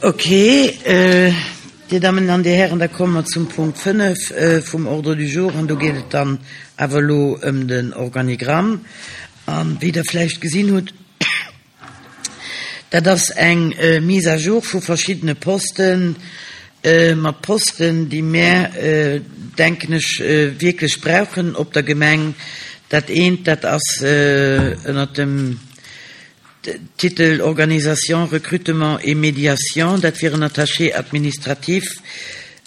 Ok, Dir Dammen an Dir Hären, da komme mer zum Punkt 5 vum Ordre du jour an do geet et dann awer elo ëm den Organigramm. A wéi Der vläicht gesinn hutt, dat ass eng Mise à jour vu verschiddene Posten, mat Posten, déi mär, denken ech, wierklech brauchen op der Gemeng. Dat eent, dat ass ënnert dem Titel Organisation, Recrutement et médiation, dat wier en Attaché administratif.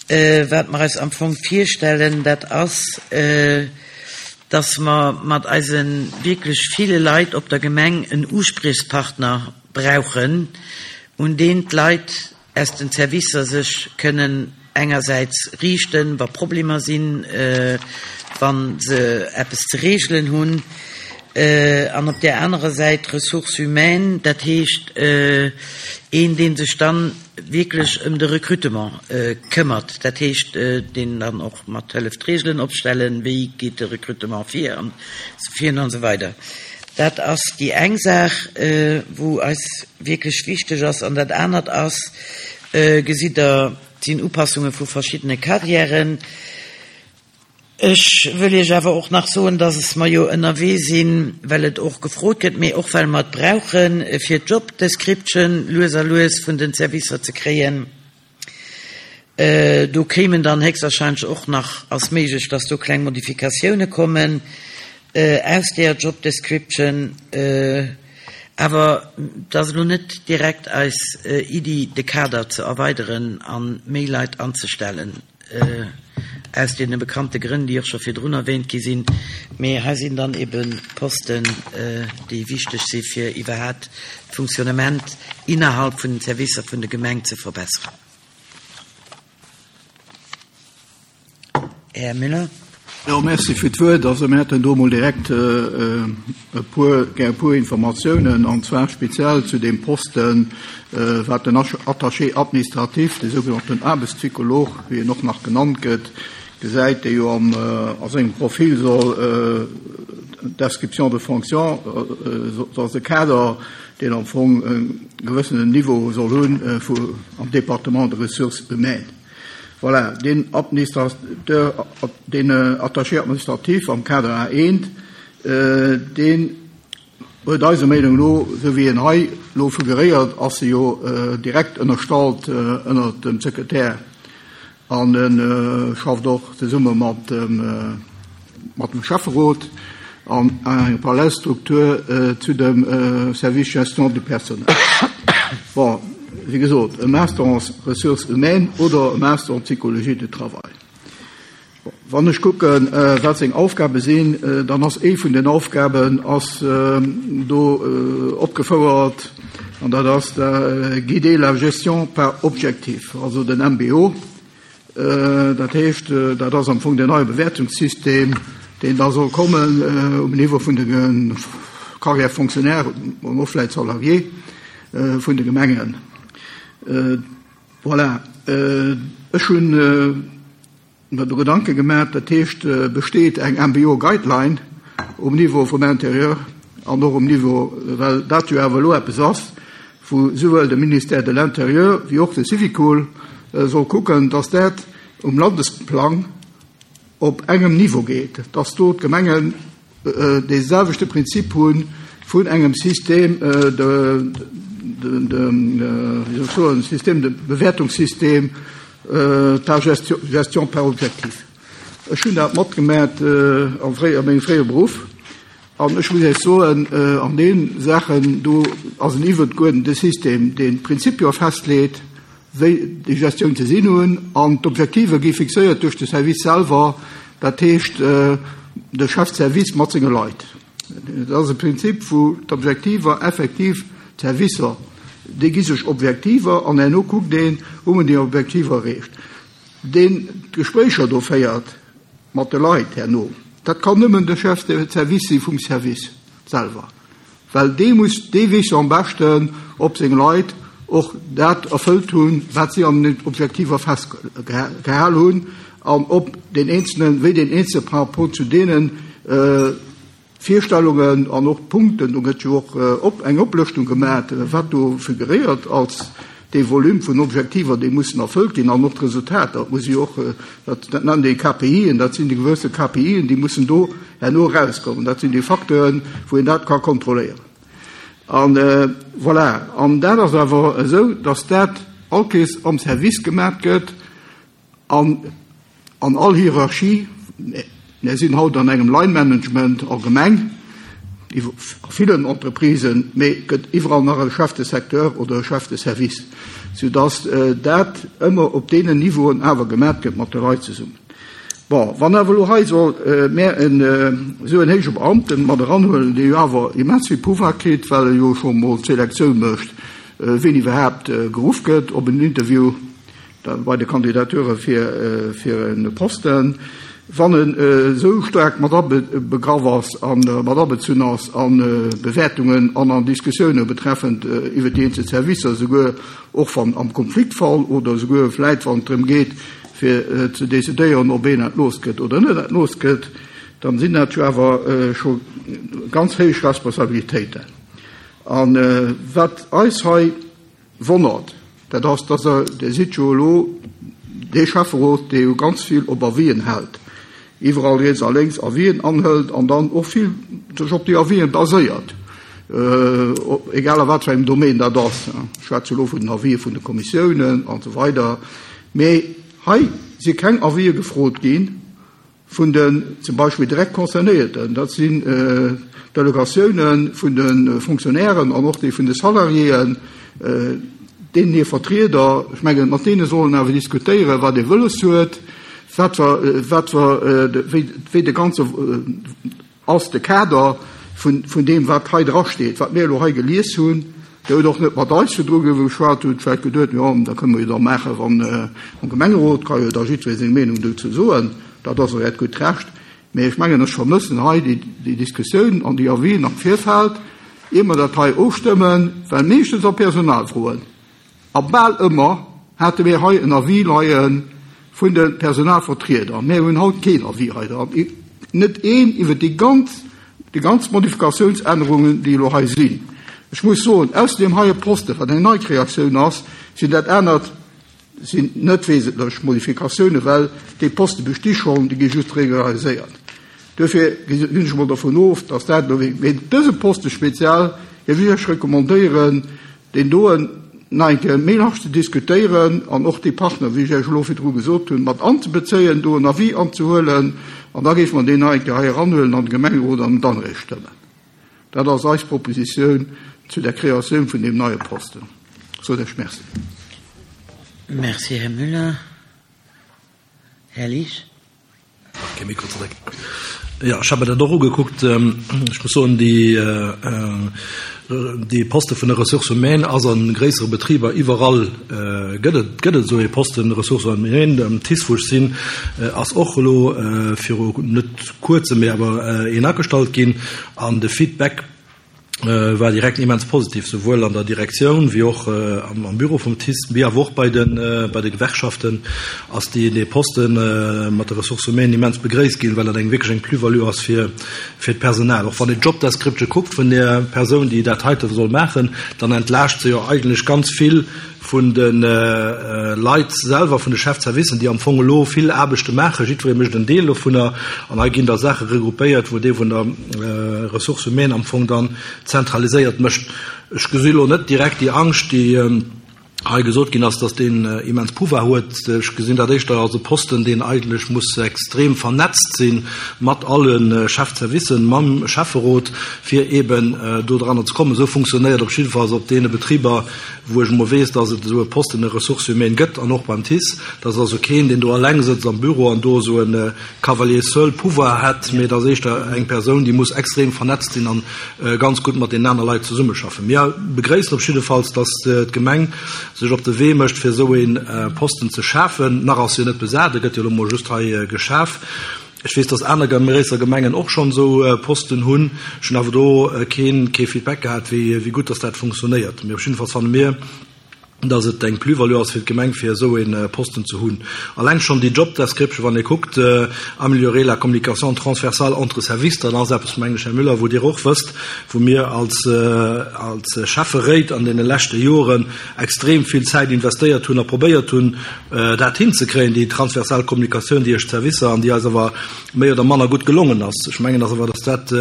Wat mer eis am Fong virstellen, dat ass, dass mer mat eise wierklech ville Leit op der Gemeng en Uspriechspartner brauchen, un deen d'Leit aus den Servicer sech kënnen engersäits riichten, wa Problemer sinn, wa se eppes ze regelen hunn, an op där anerer Säit d'Ressources humaines, dat heescht een, dee sech dann wierklech ëm de Recrutement këmmert, dat heescht deen dann och mat hëlleft d'Regelen opstellen, wéi geet de Recrutement vir an esou weider. Dat ass déi eng Saach, wou eis wierklech wichteg ass. An dat anert ass, gesitt Der, et sinn Upassunge vu verschiddene Carrièren. Ech wëll Iech awer och nach soen, dass mer jo ënnerwee sinn, well et och gefrot gëtt, mee och well mer et brauchen, fir d'Job description lues a lues vun den Servicer ze kréien. Do kéimen dann héchstwahrscheinlech och nach, ass méiglech, dass do kleng Modifikatioune kommen aus deeër Job description. Awer et ass elo net direkt eis Iddi, de Kader ze erweideren a méi Leit anzestellen, aus deene bekannte Grënn, déi och scho virdrun erwähnt gi sinn. Mee hei sinn dann ebe Posten, déi wichteg si fir iwwerhaapt d'Funktionnement innerhalb vun den Servicer vun der Gemeng ze verbessern. Här Müller. Jo, merci fir d'Wuert. Also mir hätten do emol direkt e puer, gär e puer Informatiounen, an zwar speziell zu deem Posten, wat den Attaché administratif, de sougenannten Aarbechtspsycholog, wéi en och nach genannt gëtt, gesäit, dee jo am a sengem Profil soll d'Description de fonction, ass e Kader, deen am Fong e gewëssenen Niveau soll hunn vu am Département de Ressources humaines. Voilà, deen Administrateur, deen Attaché administratif am Kader A1, deen huet eiser Meenung no, esou wéi en hei elo figuréiert, ass e jo direkt ënnerstallt ënnert dem Sekretär an e schafft och zesumme mat dem, mat dem Schäfferot an enger Parallelstruktur zu dem Service Gestion du personnel. Bon, wéi gesot, e Master en Ressources humaines oder e Master en Psychologie du travail. Bon, wann ech kucken, wat seng Aufgabe sinn, dann ass ee vun den Aufgaben ass do opgefouert, an dat ass guider la gestion par objectifs, also den MBO. Dat heescht, dat ass am Fong den neie Bewäertungssystem, deen da soll kommen um Niveau vun de Carrières fonctionnaires an och vläicht Salariés vun de Gemengen. Voilà, ech hunn mer do Gedanke gemaach. Dat heescht, besteet eng MBO-Guideline um Niveau vum Intérieur an och um Niveau, well dat jo awer elo eppes ass, wou souwuel de Ministère de l'Intérieur wéi och de Syvicol soll kucken, dass dat um Landesplang op engem Niveau geet, dass do d'Gemengen dee selwechte Prinzip hu vun engem Système de, wéi soll ech soen, Système de Bewäertungssystem par gestion par objectif. Ech hunn dat matgemat a mengem fréiere Beruff an ech muss Iech soen, an deene Saachen do ass en iwwergeuerdente System, deen d'Prinzipie festleet, wéi déi Gestioun ze sinn hunn, an d'Objektive gi fixéiert duerch de Service selwer, dat heescht de Chef de service mat senge Leit. Dat ass e Prinzip, wou d'Objektiver effektiv d'Servicer, déi gi sech Objektiver an herno kuckt een, hu mer déi Objektiver erreecht. Deen d'Gespréicher do féiert mat de Leit herno, dat kann nëmmen de Chef de service si vum Service selwer, well dee muss, dee weess jo am beschten, ob seng Leit och dat erfëllt hunn, wat si an den Objektiver festgehal hunn an ob deen Eenzelnen, wéi deen Eenzelne par rapport zu deene Virstellungen an och d'Punkten, do gëtt jo och op eng Oplëschtung gemat, wat do figuréiert als. dee Volume vun Objektiver, déi mussen erfëllt ginn, an och d'Resultater, et muss jo och, dat nennt ee KPIen, dat sinn déi gewësse KPIen, déi mussen do herno erauskommen. Dat sinn déi Facteuren, wou een dat ka kontrolléieren. An voilà, an dat ass awer esou, datt dat all Kees am Service gemaat gëtt an an all Hierarchie. Mär sinn haut an engem Line Management allgemeng a villen Entreprisen, mee et gëtt iwwerall nach e Chef de secteur oder e Chef de service, soudatt dat ëmmer op deenen Niveauen awer gemaat gëtt mat de Leit zesummen. Bon, wann awer elo hei soll mär en esou en héije Beamten mat eranhuelen, dee jo awer immens vill Pouvoir kritt, well e jo scho mol d'Selektioun mécht, wien iwwerhaapt geruff gëtt op en Interview da bei de Kandidature fir fir e Posten, wann en esou staark mat abegraff ass a mat abezunn ass a Bewäertungen an an Diskussioune betreffend iwwer déi eenzel Servicer, esouguer och wann am Konfliktfall oder esouguer vläit wann et drëm geet, fir ze decidéieren, ob een entlooss gëtt oder net entlooss gëtt, dann sinn dat jo awer scho ganz héich Responsabilitéiten. A wat eis hei wonnert, dat ass, dass Der, Dir sidd jo elo dee Schäfferot, dee jo ganz vill op Avisen hält, iwwerall riets a lénks Avisen anhëlt an dann och vill sech op déi Avisen baséiert, egal a wat fir engem Domaine dat ass. Ech schwätze elo vun den Avisë vun de Kommissiounen an esou weider. Mee hei si keng Avisë gefrot gi vun den zum Beispill direkt Concernéierten, dat sinn d'Delegatioune vun de Fonctionnairen an och déi vun de Salariéen, deenen hir Vertrieder. Ech mengen, mat deene soll een awer diskutéieren, wat ee wëlles huet, wat wat wéi de ganze ass de Kader vun deem, wat hei drasteet, wat mir elo hei gelies hunn. Dir hutt och net mat eis virdru geschwat, hutt vläicht geduet, jo, dat kënne mer jo da maachen, wann am Gemengerot ka jo da jiddweree seng Meenung dozou soen. Dat ass och Äert gutt Recht. Mee ech mengen, ech vermëssen hei déi Diskussioun an déi Avisen am Virfeld, ier mer dat hei ofstëmmen, well meeschtens a Personalfroen, A bal ëmmer hate mir hei en Avis leie vun de Personalvertrieder. Mir hunn haut keen Avis hei dran, net een iwwer déi ganz, déi ganz Modifikatiounsännerungen, déi elo hei sinn. Ech muss soen, ausser deem heie Poste, wat eng nei Kreatioun ass, sinn dat anert sinn net wesentlech Modifikatiounen, well déi Poste besti schonn, déi gi just regulariséiert. Duerfir ginn ech emol dovun of, dass dat elo, mee dëse Poste speziell géif ech Iech recommandéieren, deen doen nach eng Kéier méi large ze diskutéieren an och déi Partner, wéi ech Iech elo virdru gesot hunn, mat anzebezéien, do en Avis anzehuelen an da géife mer deen nach eng Kéier hei eranhuelen an de Gemengerot an en dann eréischt stëmmen. Dat ass eis Propositioun zu der Kreatioun vun deem neie Posten. Ech soen Iech Merci. Merci, Här Müller. Här Liesch. Kee Mikro zeréck. Jo, ech hat mer dat och ugekuckt. Ech muss soen, déi, dee Poste vun der Ressources humaines ass a gréissere Betriber iwwerall gëtt et, gëtt et esou ee Posten Ressources humaines. Am TICE, wou ech sinn, ass och elo viru net kuerzem, mee awer een agestallt ginn. An de Feedback, war direkt immens positiv, souwuel an der Direktioun wéi och am Büro vum TICE, wéi awer och bei de bei de Gewerkschaften ass déi dee Poste mat de Ressources humaines immens begréisst ginn, well dat eng wierklech eng Plus-value ass fir fir d'Personal. Och wann een d'Job description kuckt vun där Persoun, déi dat heite soll maachen, dann entlaascht se jo eigentlech ganz vill vun de Leit selwer, vun de Chefservicen, déi am Fong elo vill Aarbechte maachen. Jiddweree mécht en Deel dovunner an hei ginn da Saache regroupéiert, wou dee vun der Ressources humaines am Fong dann zentraliséiert mécht. Ech gesi elo net direkt déi Angscht, déi hei gesot ginn ass, dass deen immens Pouvoir huet. Ech gesinn dat éischter als e Posten, deen eigentlech muss extrem vernetzt si mat alle Chefservicen, mam Schäfferot, fir eeben dodranner ze kommen. Esou funktionéiert op jiddefalls op deene Betriber, wou ech emol weess, dass et esou e Posten de Ressources humaines gëtt an och beim TICE, dass also keen, deen do eleng sëtzt am Büro an do esou e Cavalier seul Pouvoir hätt, mee et ass éischter eng Persoun, déi muss extrem vernetzt sinn an ganz gutt mat deenen aner Leit zesummeschaffen. Mir begréissen op jiddefalls, dass d'Gemeng sech op de Wee mécht, fir esou ee Posten ze schafen. Nach ass jo net besat, e gëtt jo elo emol just hei geschaf. Ech weess, dass aner gréisser Gemengen och schonn esou Posten hunn. Ech hunn awer do keen, kee Feedback gehat, wéi, wéi gutt dass dat funktionéiert. Mee op jiddefalls fanne mir. Dass et eng Plus-value ass fir d'Gemeng, fir esou ee Posten ze hunn. Alleng schonn déi Job description, wann ee kuckt, améliorer la communication transversale entre services, dat ass eppes, mengen ech, Här Müller, wou Dir och wësst, wou mir als, als Schäfferéit an deene leschte Joren extrem vill Zäit investéiert hunn a probéiert hunn, dat hinzekréien, déi transversal Kommunikatioun déi ech d'Servicer an déi eis awer méi oder manner gutt gelongen ass. Ech mengen ass awer, dass dat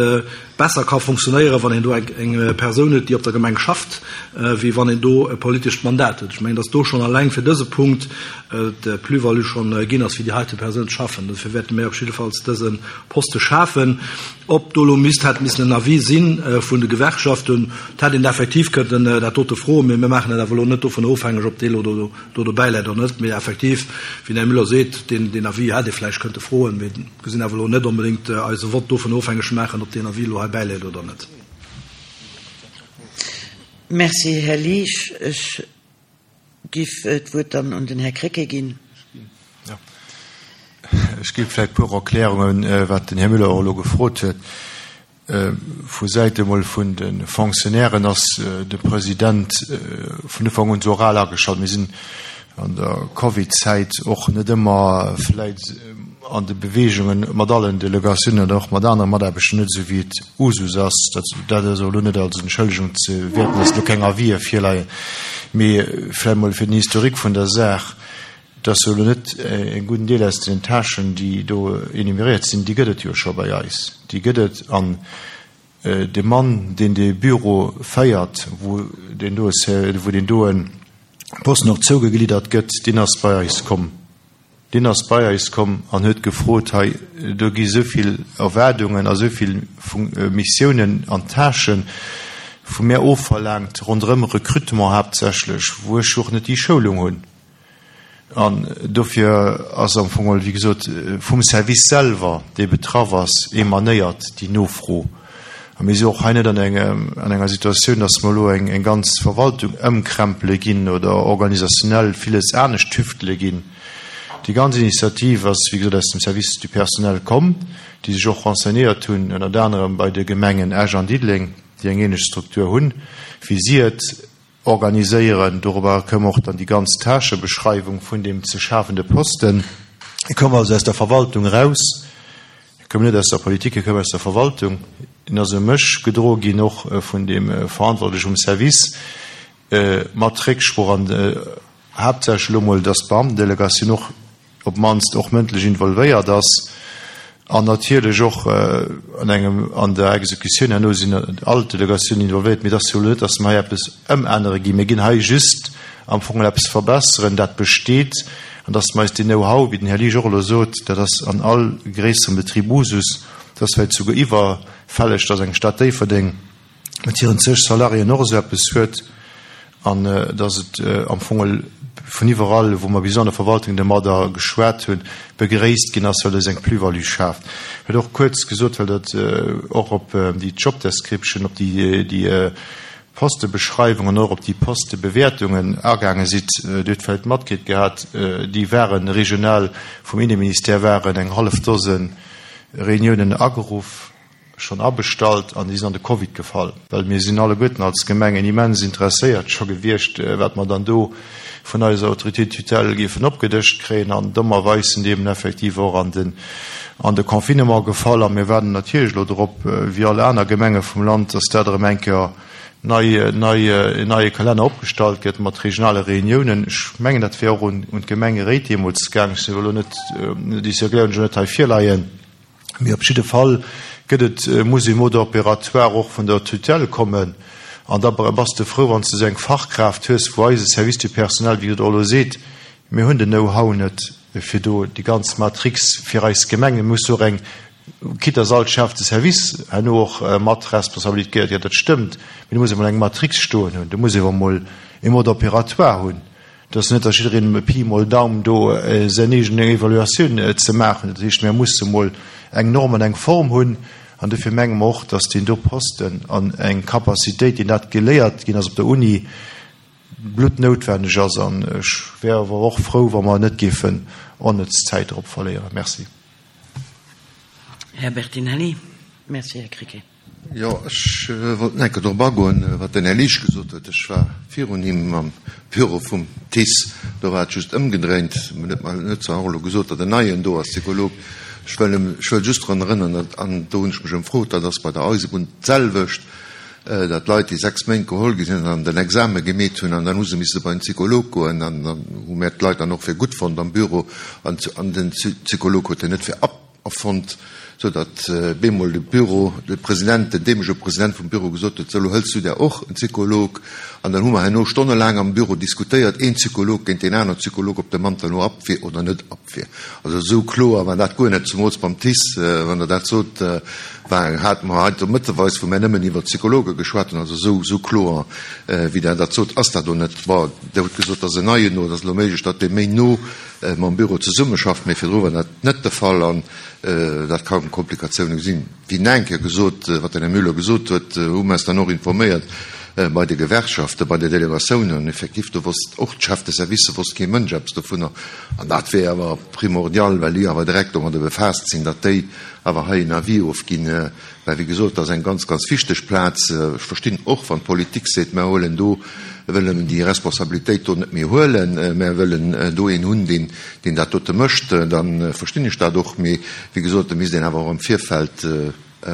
besser ka funktionéieren, wann een do eng Persoun huet, déi op der Gemeng schafft, wéi wann een do e politescht Mandat huet. Ech mengen, dass do schonn alleng fir dëse Punkt d'Plus-value schonn ginn ass, fir déi heite Persoun ze schaffen. Dofir wäerte mir op jiddefalls dëse Poste schafen. Ob do elo misst, hätt missen en Avis si vun de Gewerkschaften, et hätt een effektiv kënnten dat dote froen, mee mir maachen dat awer elo net dovun ofhängeg, ob dee elo do do dobäi läit oder net. Mee effektiv, wéi den Här Müller seet, deen Avis hätt ee vläicht kënnte froen. Mee gesinn awer elo net onbedéngt eise Vott dovun ofhängeg maachen, ob deen Avis elo hei bäiläit oder net. Merci, Här Liesch. Ech giff d'Wuert dann un den Här Krecké ginn. Ech gi vläicht e puer Erklärungen, wat den Här Müller och elo gefrot huet. Vu Säit emol vun de Fonctionnairen ass de President vun Ufank un esou oral ageschalt. Mir sinn an der Covid-Zäit och net ëmmer vläit an de Beweegungen mat allen Delegatiounen oder och mat anere Mataarbechter net esou wéi et Usus ass. Dat ass elo net als Entschëllegung ze wäerten, dass elo keng Avisë virleien, mee vläicht emol fir den Historique vun der Saach. Et ass jo elo net e gudden Deel aus den Tâchen, déi do énuméréiert sinn, déi gëtt et jo scho bei eis. Déi gëtt et. An de Mann, deen dee Büro féiert, wou deen doe, wou deen doe Posten och zougegliddert gëtt, deen ass bei eis komm. Deen ass bei eis komm an huet gefrot, Hei, do gi esou vill Erwaardungen a esou vill Missiounen an Tâchen vu mär ofverlaangt, ronderëm Recrutement haaptsächlech, wou ech jo och net déi Schoulung hunn. An dofir ass am Fong geholl, wéi gesot, vum Service selwer, dee betraff ass, emanéiert déi Nofro. A mir si och hei net an engem, an enger Situatioun, dass mer elo eng ganz Verwaltung ëmkrempele ginn oder organisationnel villes anescht tüftele ginn. Déi ganz Initiativ ass, wéi gesot, aus dem Service du personnel komm, déi sech och renseignéiert hunn, ënnert anerem bei de Gemengen Esch an Diddeleng, déi eng ähnlech Struktur hunn, wéi si et Organiséieren. Dorobber koum och dann déi ganz Tâchebeschreiwung vun deem ze schafende Posten. E koum also aus der Verwaltung eraus, e koum net aus der Politik, e koum aus der Verwaltung. En ass u mech gedroe ginn, och vun deem Verantwortleche vum Service, mat Récksprooch an haaptsächlech elo emol, dass d'Beamtendelegatioun och op d'mannst och mëndlech involvéiert ass an natierlech och an engem, an der Exekutioun herno sinn all d'Delegatiounen involvéiert. Mee et ass jo elo net, datt mer hei eppes ëmännere ginn. Mir ginn hei just am Fong eppes verbesseren, dat besteet, an datt mer eis deen Know-how, wéi den Här Liesch och elo sot, dat ass an all gréisserem Betrib Usus, dat ass vläicht souguer iwwerfälleg, datt eng Stad Déifferdeng, mat hiren zeg Salariéen och esou eppes huet an dass et am Fong vun iwwerall, wou mer bis an der Verwaltung domadder geschwat hunn, begréisst ginn ass, well et eng Plus-value schaaft. Huet och kuerz gesot, well dat och op déi Job description, op déi Postebeschreiwung an och op déi Postebewäertungen agaange sidd. Dir hutt vläicht matkritt gehat, déi ware regional vum Inneministère waren eng hallef Dose Reuniounen ageruff. schonn abestallt an déi sinn an de Covid gefall, well mir sinn alleguerten als Gemengen immens interesséiert scho gewiescht, wat mer dann do vun eiser Autorité de tutelle géifen opgedëscht kréien. An dommerweis sinn déi eben effektiv och an den, an de Confinement gefall. A mir waarden natierlech elo drop, wéi all aner Gemenge vum Land, dass dat erëm eng Kéier nei, nei, en neie Kalenner opgestallt gëtt mat regionale Reuniounen. Ech mengen, dat wär och un, un d'Gemengeréit deemools gaangen. Ech sinn elo net, déi Circulaire hunn ech elo net hei virleien. Mee op jidde Fall gëtt et, muss e Mode opératoire och vun der Tutelle kommen. An da bass de frou, wann s de esou eng Fachkraaft hues, wou eise Service du personnel, wéi et och elo seet, mir hunn den Know-how net, fir do déi ganz Matrix fir eis Gemeng, et muss och eng, quitte dass all Chef de service herno och mat Responsabilitéit gëtt, jo dat stëmmt, mee du muss emol eng Matrix stoen hunn, du muss ewer emol e Mode opératoire hunn. Et ass net, datt jiddereen Pi mol Daum do säin eegen Evaluatioun ze maachen. Dat heescht, mir musse mol eng Norm an eng Form hunn. An dofir menge mer och, datt deen do Posten an eng Capacitéit, deen dat geléiert ginn ass op der Uni, bluttnoutwenneg ass. An ech wär awer och frou, wa mer net géifen onnëtz Zäit drop verléieren. Merci. Här Bertinelli. Merci, Här Krecké. Jo, ech wollt nach eng Kéier drop agoen, wat den Här Liesch gesot huet. Ech war virun him am Büro vum TICE, do war et just ëmgedréint. En huet mer net zwar och elo gesot, datt en Neien do ass, Psycholog. Ech wëll em, ech wëll just drun erënneren, datt, an do hunn ech mech ëmfrot, dat ass bei der Eisebunn d'selwecht, datt Leit, déi 6 Méint geholl gi sinn an den Exame gemeet hunn, an dann hu se misse bei den Psycholog goen, an dann hu mär d'Leit dann och fir gutt fonnt am Büro, an den Psycholog huet en net fir erfonnt, sou datt bemol de Büro, de President, den deemolege President vum Büro gesot huet, sou elo hëls du der och en Psycholog. An dann hu mer herno stonnelaang am Büro diskutéiert, een Psycholog géint deen anere Psycholog, ob de Mann dann elo ab wier oder net ab wier. Also esou kloer war dat guer net, zumools beim TICE, wann Der dat sot, war, hate mer hei do mëtteweis, wou mir nëmmen iwwer Psychologe geschwat hunn, also esou, esou kloer wéi Der dat sot, ass dat do net. Bon, Der hutt gesot, datt en Neien do, et ass elo méiglech, datt dee méi no mam Büro zesummeschafft, mee virdru war dat net de Fall an dat ka Komplikatioune sinn. Wéi nach eng Kéier gesot, wat den Här Müller gesot huet, hu mer eis dann och informéiert bei de Gewerkschaften, bei de Delegatiounen an effektiv do wosst och d'Chefs de service, wosst kee Mënsch eppes dovunner an dat wier awer primordial, well déi awer direkt domadder befaasst sinn, datt déi awer hei en Avis ofginn. Well, wéi gesot, dat ass eng ganz, ganz wichteg Plaz. Ech verstinn och, wann d'Politik seet, Mär huelen do, wëllen déi Responsabilitéit do net méi huelen, mär wëllen do een hunn, deen, deen dat dote mécht, da verstinn ech dat och. Mee, wéi gesot, da misst een awer och am Virfeld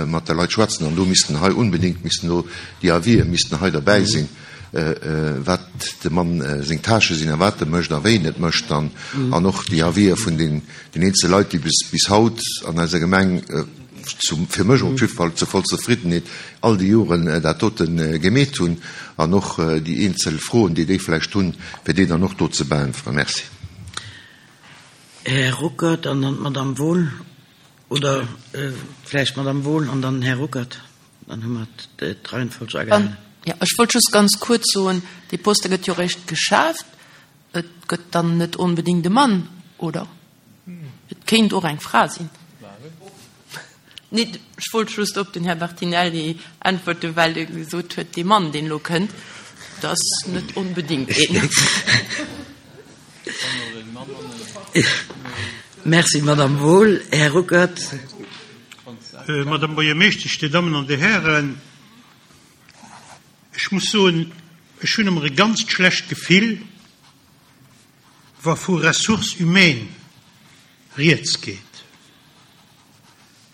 mat de Leit schwätzen an do missten hei unbedéngt, missten do déi Avisë missten hei derbäi sinn, wat dem Mann seng Tâchë sinn a wat e mécht a wéi en et mécht an och déi Avisë vun den eenzele Leit, déi bis, bis haut an eiser Gemeng, fir mech op jidde Fall zur voll Zefriddenheet, all déi Joren dat dote gemeet hunn an och déi eenzel Froen, déi déi vläicht hunn, fir déi dann och do ze beäntweren. Merci. Här Ruckert an dann d'Madame Wohl, oder vläicht d'Madame Wohl an dann den Här Ruckert, dann hu mer d'Reihenfolg agehalen. Jo, ech wollt just ganz kuerz soen, dee Poste gëtt jo eréischt geschaaft. Et gëtt dann net onbedéngt e Mann, oder? Et kéint och eng Fra sinn. Nee, ech wollt just op den Här Bertinelli äntwerten, well e gesot huet, dee Mann, deen elo kënnt, dat ass net onbedéngt een. Merci, Madame Wohl. Här Ruckert. Madame Buergermeeschtesch, Dir Dammen an Dir Hären, ech muss soen, ech hunn ëmmer e ganzt schlecht Gefill, wa vu Ressources humaines rieds geet.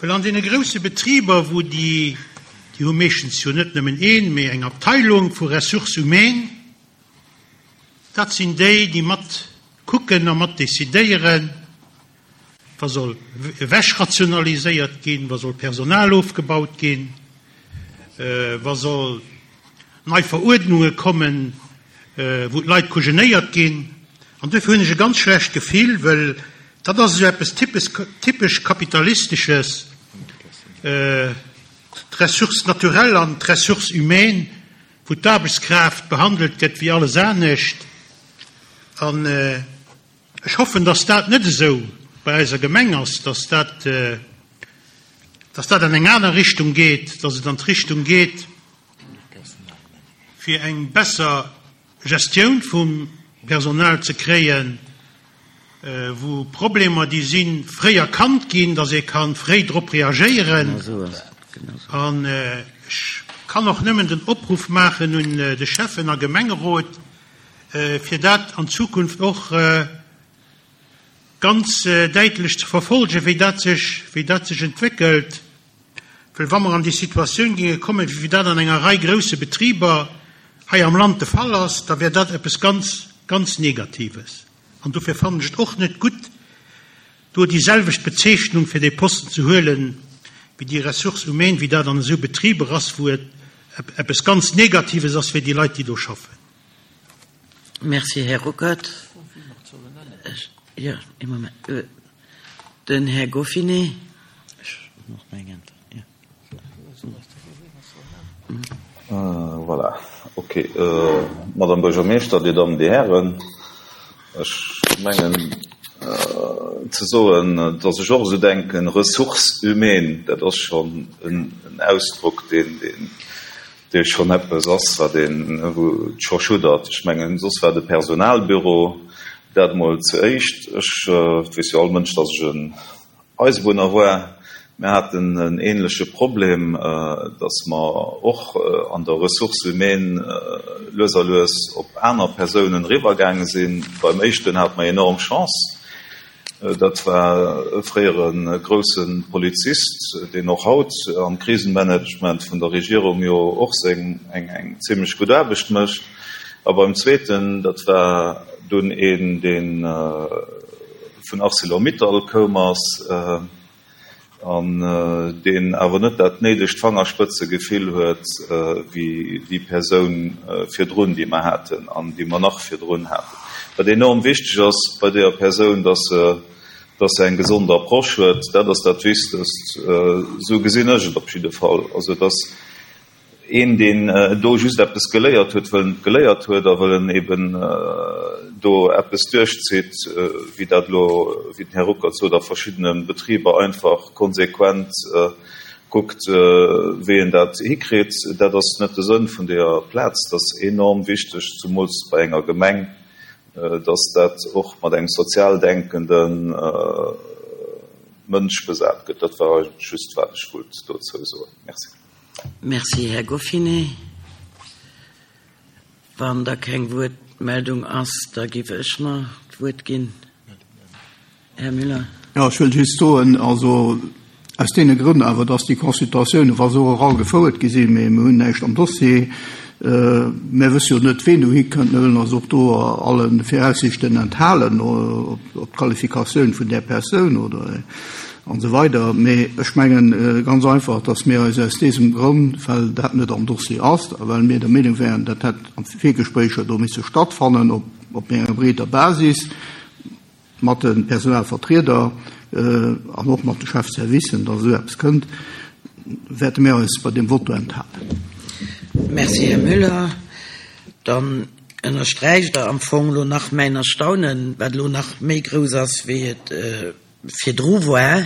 Well an deene grousse Betriber, wou déi, déi hu meeschtens jo net nëmmen een, mee eng Abteilung vu Ressources humaines, dat sinn déi, déi mat kucken a mat decidéieren, wa soll ewechrationaliséiert ginn, wa soll Personal ofgebaut ginn, wa soll nei Veruerdnunge kommen, wou d'Leit kujenéiert ginn. An duerfir hunn ech e ganz schlecht Gefill, well dat ass esou eppes typesch Kapitalistesches, d'Ressource naturelle an d'Ressource humaine, wou d'Aarbechtskraaft behandelt gëtt wéi alles anescht. An ech hoffen, dass dat net esou bei eiser Gemeng ass, dass dat, dass dat an eng aner Richtung geet, dass et an d'Richtung geet, fir eng besser Gestioun vum Personal ze kréien, wou Problemer, déi sinn, fréi erkannt ginn, dass ee ka fréi drop reagéieren. An ech kann och nëmmen den Opruff maachen un de Schäffen a Gemengerot, fir dat an Zukunft och ganz däitlech ze verfolgen, wéi dat sech, wéi dat sech entwéckelt. Well wa mer an déi Situatioun géinge kommen, wéi dat an enger Rei grousse Betriber hei am Land de Fall ass, da wär dat eppes ganz, ganz Negatives. An dofir fannen ech et och net gutt, do déi selwecht Bezeechnung fir dee Posten ze huelen, wéi déi Ressources humaines, wéi dat an esou Betriber ass, wou et eppes ganz Negatives ass fir déi Leit, déi do schaffen. Merci, Här Ruckert. Jo, ee Moment. Den Här Goffinet. Ech hunn och nach eng Äntwert, jo. Voilà, okay. Madame Buergermeeschter, Dir Dammen, Dir Hären, ech mengen ze soen, datt ech och esou denken, Ressources humaines, dat ass schonn en Ausdrock, deen, deen, dee schonn eppes ass, wat een, wou et scho schuddert. Ech mengen, soss war de Personalbüro dat emol zuéischt. Ech, et weess jo all Mënsch, datt ech en Eisebunner war. Mir haten en ähnleche Problem, dass mer och an der Ressources humaines lues a lues op aner Persounen eriwwergaange sinn. Beim éischten hate mer enorm Chance. Dat war e fréiere grousse Polizist, deen och haut am Krisenmanagement vun der Regierung jo och seng eng zimlech gutt Aarbecht mécht. A beim zweeten, dat war dunn een, dee vun Arcelor-Mittal koum ass an deen awer net dat néidegt Fangerspëtzegefill huet wéi déi Persoun virdrun, déi mer haten an déi mer nach virdrun haten. Wat enorm wichteg ass bei deeër Persoun, dass se, dass se eng gesond Approche huet, dat ass dat Wichtegst, esou gesinn ech et op jidde Fall. Also dass Een, deen do just eppes geléiert huet, wëll en et geléiert huet a wëll en eben do eppes duerchzitt, wéi dat elo, wéi den Här Ruckert sot, a verschiddene Betriber einfach konsequent kuckt, wéi en dat hikritt, dat ass net de Sënn vun deeër Plaz. Dat ass enorm wichteg, zumools bei enger Gemeng, dass dat och mat engem sozial denkende Mënsch besat gëtt. Dat war eigentlech just, wat ech wollt dozou soen. Merci. Merci, Här Goffinet. Wann da keng Wuertmeldung ass, da géif ech mer d'Wuert ginn. Här Müller. Jo, ech wëll just soen, also aus deene Grënn awer, dass déi Consultatiounen, wa se och oral gefouert gi sinn, mee mir hunn näischt am Dossier, mir wësse jo net, ween dohi kënnt, mir wëllen eis och do alle Viraussichten enthalen op d'Qualifikatioun vun där Persoun oder An esou weider. Mee ech mengen ganz einfach, dass mir eis aus désem Grond, well dat net am Dossier ass a well mir der Meenung wären, dat hätt am Virgespréicher do misse stattfannen op op méi enger breeder Basis mat de Personalvertrieder an och mat de Chefservicen, dass esou eppes kënnt, wäerte mir eis bei deem Vote do enthalen. Merci, Här Müller. Dann ënnersträicht Der am Fong elo nach mäin Erstaunen, wat elo nach méi grouss ass, wéi et virdru war,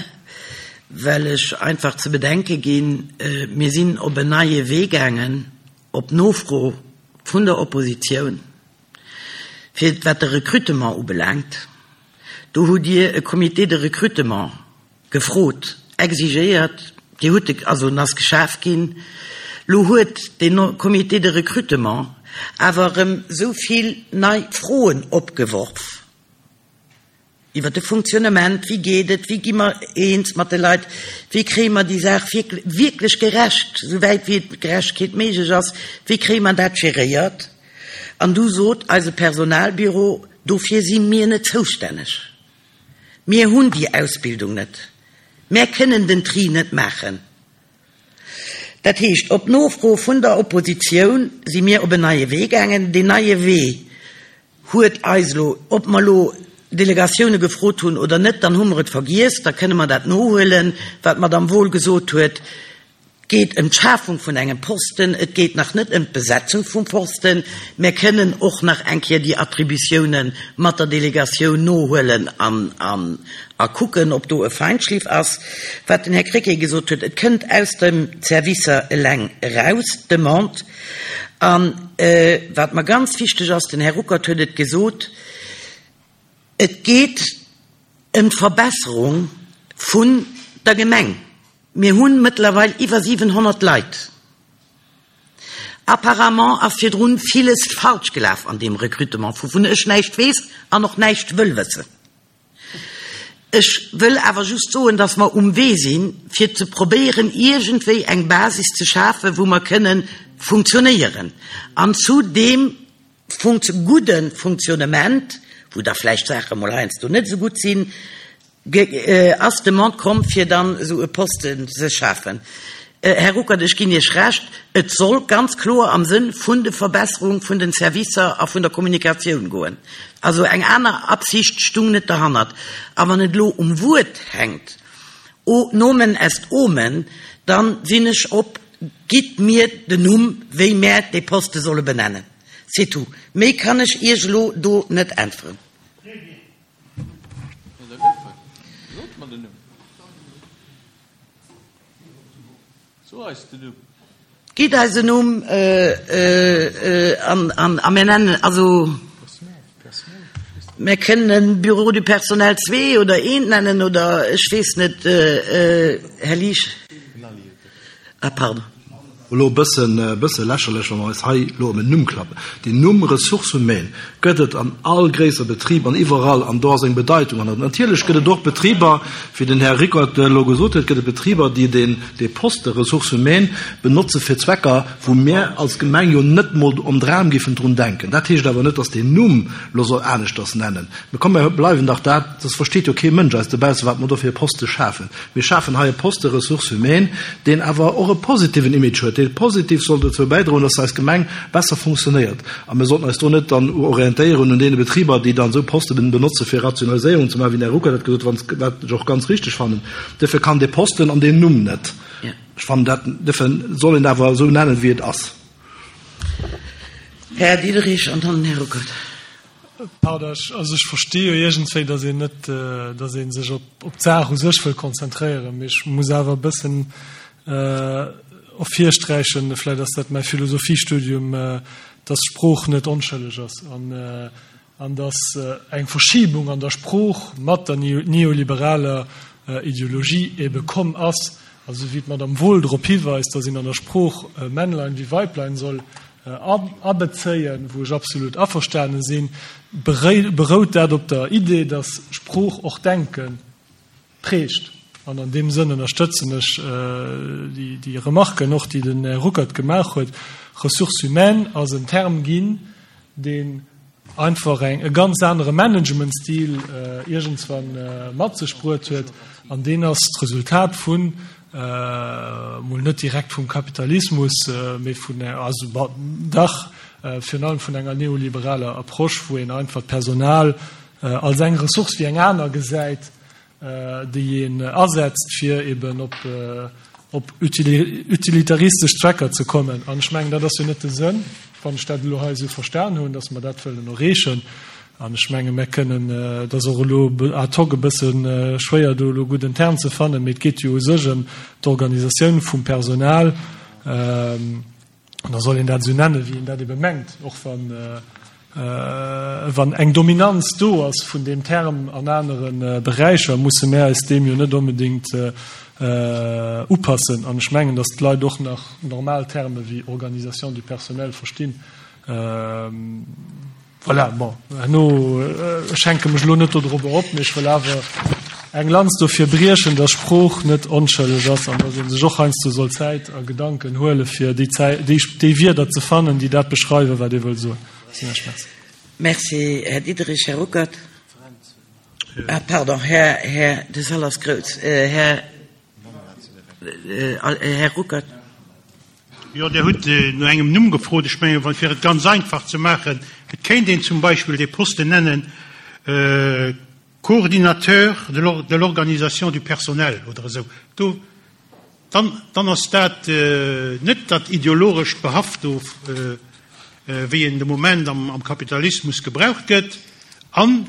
well ech einfach ze bedenke ginn, mir sinn op en neie Wee gaangen, op Nofro vun der Oppositioun, fir wat de Recrutement ubelaangt. Do hutt Dir e Comité de recrutement gefrot, exigéiert, Dir hutt e, also en ass geschaf ginn. Lo huet dee Comité de recrutement awer erëm esou vill nei Froen opgeworf, Iwwer de Funktionnement, wéi geet et, wéi gi mer eens mat de Leit, wéi kréie mer déi Saach wierklech gerecht, souwäit wéi et Gerechtegkeet méiglech ass, wéi kréie mer dat geréiert? An du sot eise Personalbüro, dofir si mir net zoustänneg, mir hunn déi Ausbildung net, mär kënnen den Tri net maachen. Dat heescht, op Nofro vun der Oppositioun si mir op en neie Wee gaangen. Deen neie Wee huet eis elo, ob mer elo Delegatioune gefrot hunn oder net, dann hu mer et vergiess, da kënne mer dat nohuelen, wat d'Madame Wohl gesot huet, et geet ëm d'Schafung vun engem Posten, et geet nach net ëm d'Besetzung vum Posten. Mer kënnen och nach eng Kéier déi Attributioune mat der Delegatioun nohuelen an a kucken, ob do e Feinschliff ass. Wat den Här Krecké gesot huet, et kënnt aus de Servicer eleng eraus, d'Demande. A wat mer ganz wichteg ass, den Här Ruckert huet et gesot, et geet ëm d'Verbesserung vun der Gemeng. Mir hu mëttlerweil iwwer 700 Leit. Apparemment ass virdrun villes falsch gelaf an deem Recrutement, wouvun ech näischt weess an och näischt wëll wëssen. Ech wëll awer just soen, dass mer um Wee sinn, fir ze probéieren, iergendwéi eng Basis ze schafen, wou mer kënnen funktionéieren. An zu deem gudde Funktionnement, wou da vläicht Saache mol heiansdo net esou gutt sinn, Ass d'Demande komm, fir dann esou e Posten ze schafen? Här Ruckert, ech ginn Iech Recht, et soll ganz kloer am Sënn vun de Verbesserung vun den Servicer a vun der Kommunikatioun goen. Also eng aner Absicht stung net derhannert. A wann et elo um Wuert hänkt, o nomen est omen, dann sinn ech op, gitt mir den Numm, wéi mär dee Poste solle benennen. C'est tout. Méi kann ech Iech elo do net äntweren. Gitt eis en Numm a mir nennen, also. Mir kënnen e Bureau du personnel zwee oder eent nennen oder ech weess net, Här Liesch. Ah, pardon. Elo e bëssen, e bësse lächerlech, wa mer eis hei elo ëm en Numm klappen. Den Numm Ressources humaines gëtt et an all gréisser Betrib an iwwerall, an do ass eng Bedeitung hannert. Natierlech gëtt et och Betriber, wéi den Här Rickert elo gesot huet, gëtt et Betriber, déi deen, dee Poste Ressources humaines benotze fir Zwecker, wou mir als Gemeng jo net emol am Dram géifen drun denken. Dat heescht awer net, dass deen Numm elo soll aneschters nennen. Mä komm, mir bleiwen dach dat, soss versteet jo kee Mënsch eis dobausse, wat mer do fir e Poste schafen. Mir schafen hei e Poste Ressources humaines, deen awer och e positiven Image huet, dee positiv soll dozou bäidroen, dass eis Gemeng besser funktionéiert. A mir sollten eis do net dann orientéieren un deene Betriber, déi dann esou Poste benotze fir Rationaliséierung ze maachen, wéi den Här Ruckert dat gesot huet, wat ech och ganz richtig fannen. Duerfir kann dee Posten an deen Numm net. Ech fannen dat, duerfir soll een awer esou nennen, wéi et ass. Här Diderich an dann den Här Ruckert. Pardon, ech, also ech versti jo iergendwéi, datt een net, datt ee sech op, op d'Saach u sech wëll konzentréieren, mee ech muss awer e bëssen ervirsträichen, vläicht ass dat mäi Philosophiestudium, datt Sprooch net onschëlleg ass an, an datt eng Verschibung an der Sprooch mat der neoliberaler Ideologie ebe komm ass, also wéi d'Madame Wohl drop hiweist, datt een an der Sprooch Männlein wéi Weiblein soll abezéien, wou ech absolut averstane sinn, berout dat op der Idee, datt Sprooch och Denke prägt. An an deem Sënn ënnerstëtzen ech déi Remarken och, déi den Här Ruckert gemaach huet. Ressources humaines ass en Term ginn, deen einfach eng e ganz anere Managementstil iergendswann mat sech bruet huet, an deen ass d'Resultat vun, mol net direkt vum Kapitalismus, mee vun, also dach virun allem vun enger neoliberaler Approche, wou een einfach d'Personal als eng Ressource wéi eng aner gesäit, déi een asetzt, fir eben op op utilitaristesch Zwecker ze kommen. An ech mengen, dat ass jo net de Sënn, wann ech dat elo hei esou verstan hunn, datt mer dat wëllen erreechen. An ech menge mer kënnen, et ass och elo ad hoc e bësse schwéier, do elo gutt en Term ze fannen, mee et geet jo u sech ëm d'Organisatioun vum Personal. An da soll een dat esou nennen, wéi een dat ebe mengt, och wann, wann eng Dominanz do ass vun deem Term an anere Beräicher, musse mär eis deem jo net onbedéngt upassen. An ech mengen, datt d'Leit och nach normal Terme wéi Organisation du personnel verstinn. Voilà, bon, herno, ech hänke mech elo net dodrobber op, mee ech wëll awer eng Lanz dofir briechen, dass Sprooch net onschëlleg ass an dass ee sech och heiansdo soll Zäit a Gedanken huele fir déi Zäit, déi, déi Wierder ze fannen, déi dat beschreiwen, wat ee wëll soen. Merci. Merci, Här Diderich. Här Ruckert. Ah, pardon, Här, Här, de Sall ass grouss. Här, Här Ruckert. Jo, Dir hutt no engem Numm gefrot. Ech mengen, fir et ganz einfach ze maachen, et kéint een zum Beispill dee Posten nennen Coordinateur de l'organisation du personnel oder esou. Do, dann, dann ass dat net dat ideologescht Behaft do, wéi en de Moment am Kapitalismus gebraucht gëtt. An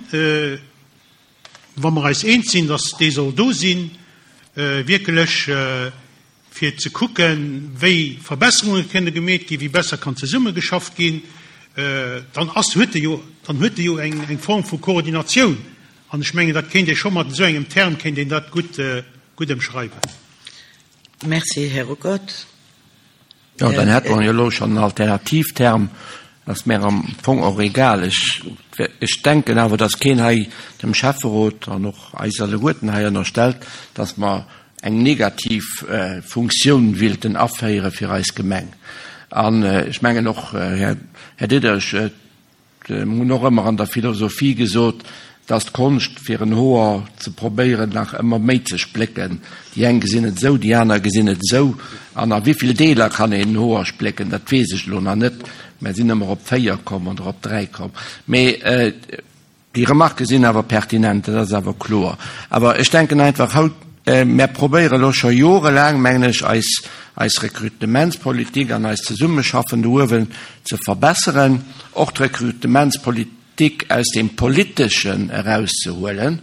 wa mer eis eens sinn, datt dee soll do sinn, wierklech fir ze kucken, wéi Verbesserunge kënne gemeet ginn, wéi besser kann zesummegeschafft ginn, dann ass, huet e jo, dann huet e jo eng, eng Form vu Koordinatioun. An ech mengen, dat kéint ee scho mat esou engem Term kéint een dat gutt, gutt ëmschreiwen. Merci, Här Ruckert. Jo, dann hätte mer jo elo schonn en Alternativterm. Ass mär am Fong och egal. Ech, ech denken awer, dass keen hei dem Schäfferot an och eis alleguerten hei ënnerstellt, dass mer eng negativ Funktioun willten aféiere fir eis Gemeng. An ech mengen och, Här, Här Diderich, Mir hunn och ëmmer an der Philosophie gesot, dass d'Konscht fir en Hoer ze probéieren nach ëmmer méi ze splécken. Déi eng gesinn et esou, déi aner gesinn et esou. An a wéivill Deeler kann een en Hoer splécken, dat weess ech elo nach net. Mer sinn ëmmer op 4 komm oder op 3 komm. Mee déi Remarquë sinn awer pertinent, dat ass awer kloer. Awer ech denken einfach haut, Mär probéiere elo scho jorelaang, mengen ech, eis, eis Rekrutementspolitik an eist Zesummeschaffen do uewen ze verbesseren, och d'Rekrutementspolitik aus deem Politeschen erauszehuelen,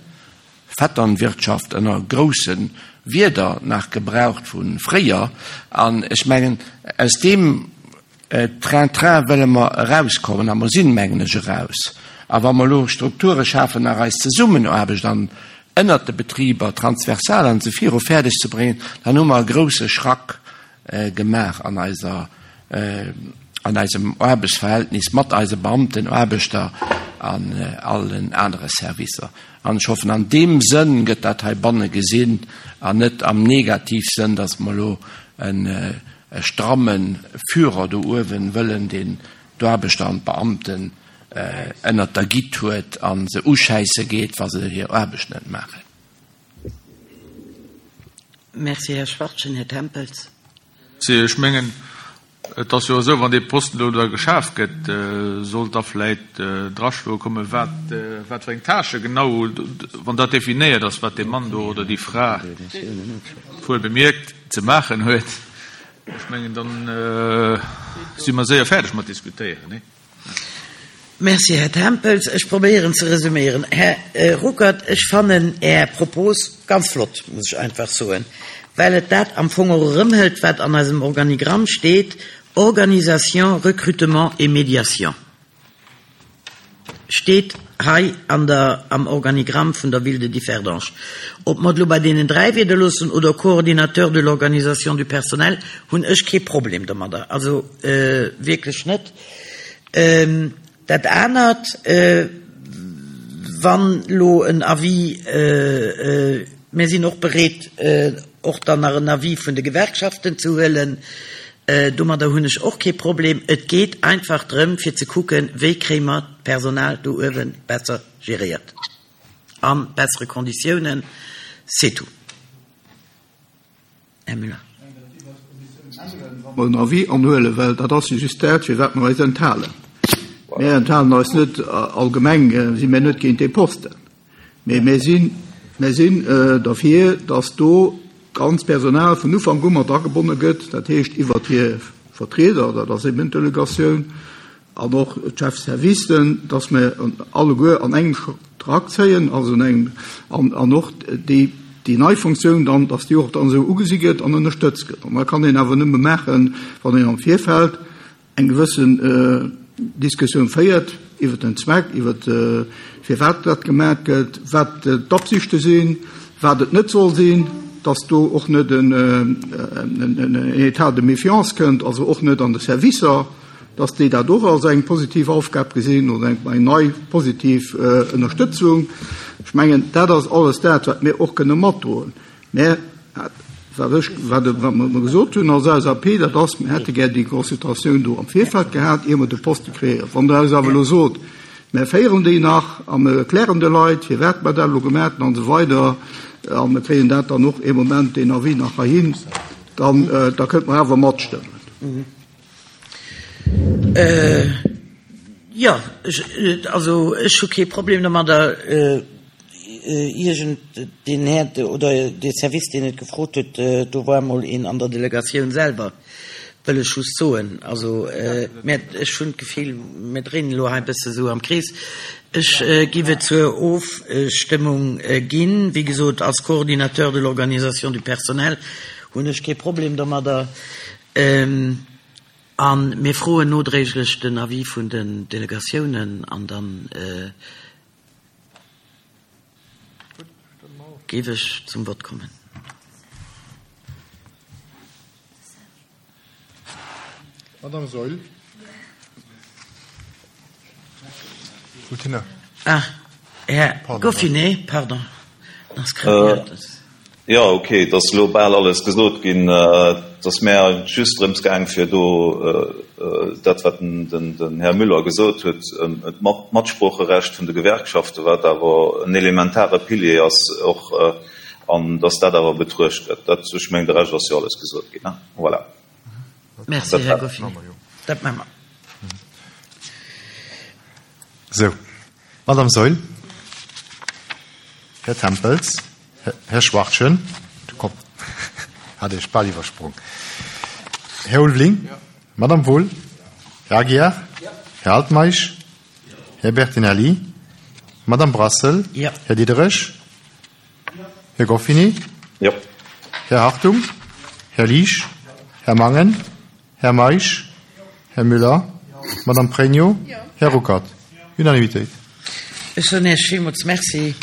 Vetternwirtschaft ënner grousse Wierder nach gebraucht vu fréier. An ech mengen, aus deem Train-train wëlle mer erauskommen a mer sinn, mengen ech, eraus. A wa mer elo Strukture schafen, nach eis Zesummenaarbecht an ënnert de Betriber transversal an esou viru fäerdeg ze bréngen, dann hu mer e grouse Schrack gemaach an eiser, an eisem Aarbechtsverhältnis mat eise Beamten, Aarbechter an allen anere Servicer. An ech hoffen, an deem Sënn gëtt dat heibanne gesinn an net am Negativsënn, dass mer elo e stramme Führer do uewen wëllen, deen d'Aarbechter an d'Beamten ënnert der Gitt huet a se uschäisse geet, wa se hir Aarbecht net maachen. Merci, Här Schwachtgen. Här Tempels. Merci. Ech mengen, et ass jo esou, wann dee Posten elo da geschaf gëtt, sollt da vläicht draschloe kommen, wat, wat fir eng Tâche genau, wann dat definéiert ass, wat dee Mann do oder déi Fra, wuel bemierkt, ze maachen huet. Ech mengen, dann si mer séier fäerdeg mat diskutéieren, nee? Merci, Här Tempels. Ech probéieren ze resuméieren. Här Ruckert, ech fannen Är Propos ganz flott, muss ech einfach soen, well et dat am Fong och erëmhëlt, wat an eisem Organigramm steet, Organisation, recrutement et médiation steet hei an der, am Organigramm vun der Ville de Differdange. Ob mer et elo bei deenen 3 Wierder loossen oder Coordinateur de l'organisation du personnel, hunn ech kee Problem domadder, also wierklech net. Dat anert, wann elo en Avis, mir sinn och bereet, och dann nach en Avis vun de Gewerkschaften ze huelen, domadder hunn ech och kee Problem. Et geet einfach drëm, fir ze kucken, wéi kréie mer d'Personal do uewe besser geréiert a bessere Konditiounen, c'est tout. Här Müller. Wa mer en Avis anhuelen, well dat ass jo just dat, firwat mer eis enthalen. Mir enthalen eis net allgemeng, si mir net géint dee Posten, mee mir sinn, mir sinn derfir, datt do d'ganz Personal vun Ufank u mat agebonne gëtt, dat heescht iwwert hir Vertrieder, dat ass eben d'Delegatioun, An och d'Chefservicen, dass mer alleguer an engem Schrack zéien, also an engem, an och déi, déi nei Funktioun dann, dass déi och dann esou ugesi gëtt an ënnerstëtzt gëtt. An dat kann een awer nëmme maachen, wann een am Virfeld eng gewëssen Diskussioun féiert iwwert den Zweck, iwwert firwat dat gemaach gëtt, wat d'Absichte sinn, wat et net soll sinn, dass do och net en État de méfiance kënnt, also och net an de Servicer. dass déi dat och als eng positiv Aufgab gesinn oder eng nei positiv Ënnerstëtzung. Ech mengen, dat ass alles dat, wat mir och kënne matdroen. Mä wat ech, wat mer gesot hunn als LSAP, dat ass, mir hätte gär déi Consultatioun do am Virfeld gehat, ier mer de Poste kreéieren. Wann Der eis awer elo sot, mir féieren déi nach a mir erklären de Leit, firwat mer dat elo gemaach hunn an esou weider, a mir kréien dat dann och ee Moment, deen Avis nach heihin, dann, da kënnte mer awer matstëmmen. Jo, also ech hu kee Problem domadder, iergend deen Här oder dee Service, deen et gefrot huet, do war emol een an der Delegatioun selwer, wëll ech just soen. Also, mä ech hunn d'Gefill, mir dréinen elo hei e bësse sou am Krees. Ech giff et zur Ofstëmmung ginn. Wéi gesot, als Coordinateur de l'organisation du personnel hunn ech kee Problem domadder. A mir froen nodréiglech den Avis vun den Delegatiounen an da géif ech zum Vott kommen. Madame Saeul. Ah, Här Goffinet, pardon. Jo, ok, et ass elo bal alles gesot ginn. Et ass mär eigentlech just drëms gaang, fir do dat, wat den Här Müller gesot huet, d'Matsproocherecht vun de Gewerkschaften, wat awer en elementare Pilier ass och, an datt dat awer betruecht gëtt. Dat, ech mengen, de Rescht ass jo alles gesot ginn. Voilà. Merci, Här Goffinet. Dat maache mer. Sou, Madame Saeul, Här Tempels, Här Schwachtgen, komm, hat Iech bal iwwersprong, Här Ulveling, Madame Wohl, Här Aguiar, Här Altmeisch, Här Bertinelli, Madame Brassel, Här Diderich, Här Goffinet, Här Hartung, Här Liesch, Här Mangen, Här Meisch, Här Müller, Madame Pregno, Här Ruckert. Unanimitéit. Ech soen Iech villmools Merci.